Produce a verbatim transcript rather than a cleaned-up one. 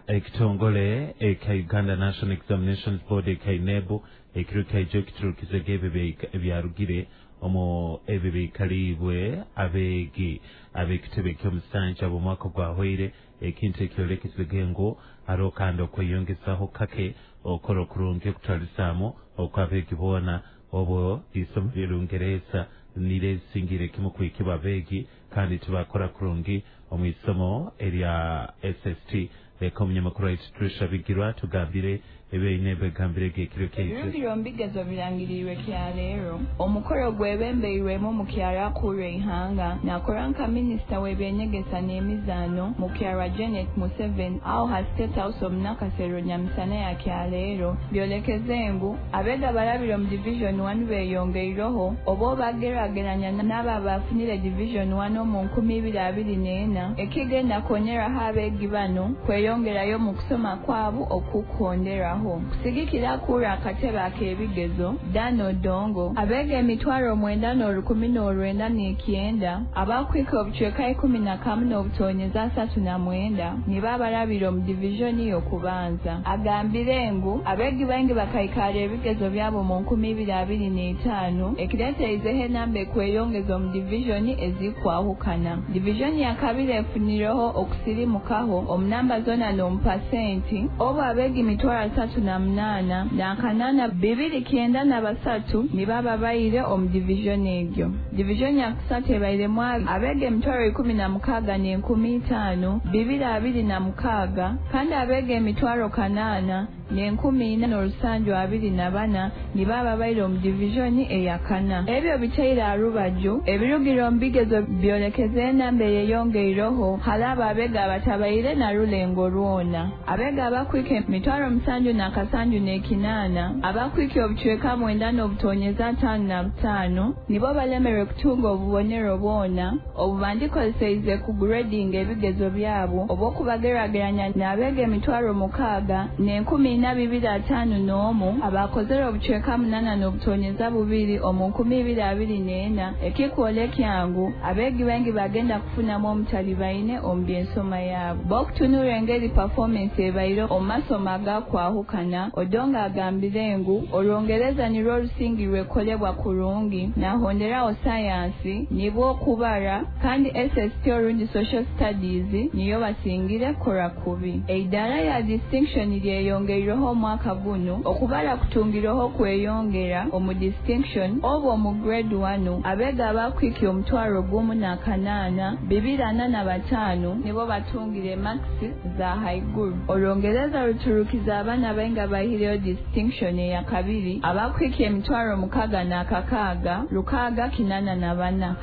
Ekitongole eka Uganda National Examinations Board eka UNEB ekiro kyaijo kiturukize ebyo ebyarugire omu ebyo biikaliibwe abeegi ab'ekitebe ky'omusanja bw'omwaka gwahweire, ekintu ekyolekesege ngu hariho kandi okweyongezaho kake okukora okurungi okutwalisaamu okw'abeegi boona, obwo isomo ly'Orungereza niryo erisingire kimu kwikibwa abeegi kandi tibakora kurungi omu isomo erya S S T. Leka omunyamakuru waitu Trisha Bigirwa tugambire ebyaine begambire ekiro kyaitu. Ebirugiro omu bigezo birangiriirwe kyaleero. Omukoro gwebembeirwemu omukyara akurra eihanga nakora nka minisita w'ebyenyegesa n'emizaano, mukyara Janet Museveni, aho ha State House omu Nakasero nyamisana ya kyaleero byolekeze ngu abeega barabire omu Division one beyongeireho oba bageraageranya n'abo abafunire Division one omu nkumi ibiri abiri n'ena, ekigenda kwongeraho abeegi bano kweyongerayo mu kusoma kwabo okukuhonderaho. Kusigikira akurra akatebe ak'ebigezo Dan Odongo, abeega emitwaro omwenda n'orukumi n'orwenda n'ikyenda abakwika obucweka ikumi na kamu n'obutonyeza asatu na mwenda nibo abarabire omu divijoni y'okubanza. Agambire ngu abeegi baingi bakaikara ebigezo byabo mu nkumi ibiri abiri n'etaano, ekireeterizeho enamba ekweyongeza omu divijoni ezikwahukana. Divijoni ya kabiri efunireho okusirimukaho omu namba zoona n'omu pasenti, obu abeegi mitwaro asatu na munaana n'akanaana bibiri kyenda na basatu nibo ababaire omu divijoni egyo. Divijoni ya kusatu ebairemu abeega emitwaro ikumi na mukaaga n'enkumi itaano bibiri abiri na mukaaga, kandi abeega emitwaro kanaana n'enkumi ina n'orusanju abiri na bana nibo ababaire omu divijoni eyakana. Ebyo biteire aha rubaju, ebirugire omu bigezo byolekeza enamba eyeyongeireho hali abo abeega abatabaire na rulengo rwona. Abeega abakwika emitwaro musanju n'akasanju n'ekinaana abakwika obucweka mwenda n'obutonyeza ataano na butaano nibo balemerwe kutunga obubonero bwona obu bandikozeseize kuguredinga ebigezo byabo, obw'okubageraageranya n'abeega emitwaro mukaaga n'enkumi ina bibiri ataano n'omu abakozere obucweka munaana n'obutonyeza bubiri omu nkumi ibiri abiri n'ena, ekikwolekya ngu abeegi baingi bagenda kufunamu omutalibaine omu by'ensoma yaabo. B'okutunura engeri performance ebaire omu masomo agakwahukana, Odongo agambire ngu Orwongereza nirwo rusingirwe kukolebwa kurungi, nahonderaho sayansi nibwo okubara, kandi S S T orundi social studies niyo basingire kukora kubi. Eidaara ya distinction lyeyongeireho omwaka guno. Okubara kutungireho kweyongera omu distinction, obu omu grade one abeega abakwikya omutwaro gumu n'akanaana bibiri ana na bataano nibo batungire marks za haiguru. Orwongereza ruturukiza abaana baingi abahireyo distinction eya kabiri, abakwikya emitwaro mukaaga n'akakaaga rukaaga kinaana na bana.